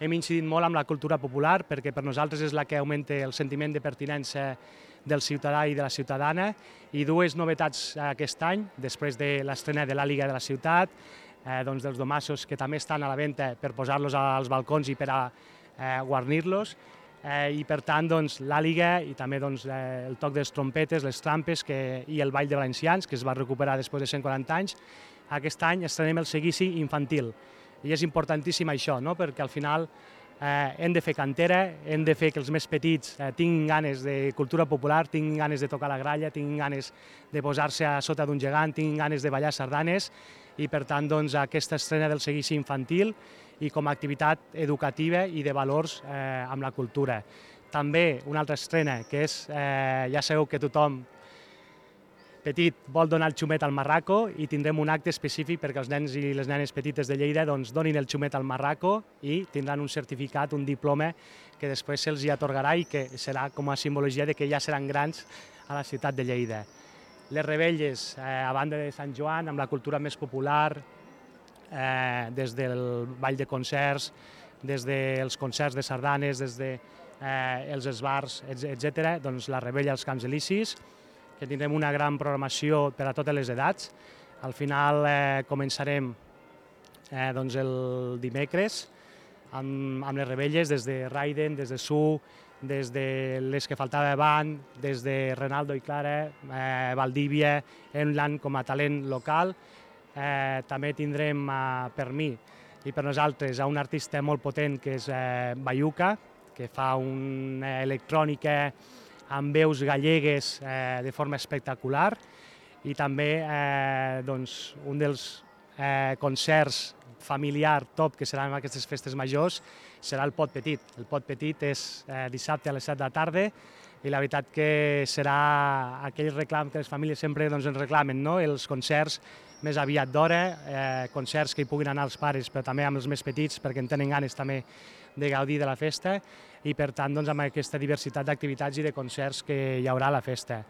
hem incidit molt amb la cultura popular perquè per nosaltres és la que augmenta el sentiment de pertinença del ciutadà i de la ciutadana, i dues novetats aquest any, després de l'estrena de l'Àliga de la ciutat, doncs dels domassos que també estan a la venda per posar-los als balcons i per a guarnir-los, i per tant doncs, l'Àliga i també doncs, el toc de les trompetes, les trampes i el ball de valencians, que es va recuperar després de 140 anys. Aquest any estrenem el seguici infantil, i és importantíssim això, no? Perquè al final hem de fer cantera, hem de fer que els més petits tinguin ganes de cultura popular, tinguin ganes de tocar la gralla, tinguin ganes de posar-se a sota d'un gegant, tinguin ganes de ballar sardanes, i per tant doncs, aquesta estrena del seguici infantil i com a activitat educativa i de valors amb la cultura. També una altra estrena que és, ja sabeu que tothom petit vol donar el xumet al marraco, i tindrem un acte específic perquè els nens i les nenes petites de Lleida doncs, donin el xumet al marraco i tindran un certificat, un diploma que després se'ls hi atorgarà i que serà com a simbologia de que ja seran grans a la ciutat de Lleida. Les revetlles, a banda de Sant Joan, amb la cultura més popular, des del ball de concerts, des dels concerts de sardanes, des dels esbars, etc., doncs la rebella als Camps Elisis, que tindrem una gran programació per a totes les edats. Al final començarem doncs, el dimecres amb les rebelles des de Raiden, des de Su, des de les que faltava abans, des de Renaldo i Clara, Valdívia, Enland com a talent local. També tindrem per mi i per nosaltres un artista molt potent que és Bayuca, que fa una electrònica amb veus gallegues de forma espectacular, i també doncs, un dels concerts familiar top que seran en aquestes festes majors serà el Pot Petit. El Pot Petit és dissabte a les 7 de la tarda, i la veritat que serà aquell reclam que les famílies sempre doncs, ens reclamen, no? Els concerts més aviat d'hora, concerts que hi puguin anar els pares, però també amb els més petits, perquè en tenen ganes també de gaudir de la festa, i per tant doncs, amb aquesta diversitat d'activitats i de concerts que hi haurà a la festa.